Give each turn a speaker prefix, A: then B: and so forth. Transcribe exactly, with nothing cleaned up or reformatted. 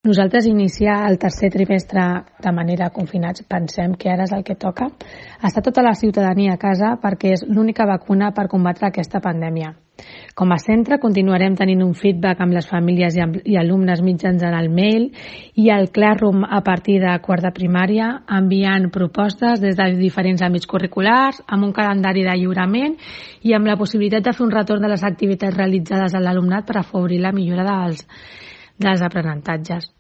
A: Nosaltres iniciar el tercer trimestre de manera confinats pensem que ara és el que toca. Està tota la ciutadania a casa perquè és l'única vacuna per combatre aquesta pandèmia. Com a centre continuarem tenint un feedback amb les famílies i, amb, i alumnes mitjançant el mail i el Classroom a partir de quart de primària, enviant propostes des de diferents àmbits curriculars, amb un calendari de lliurament i amb la possibilitat de fer un retorn de les activitats realitzades a l'alumnat per afavorir la millora dels, dels aprenentatges.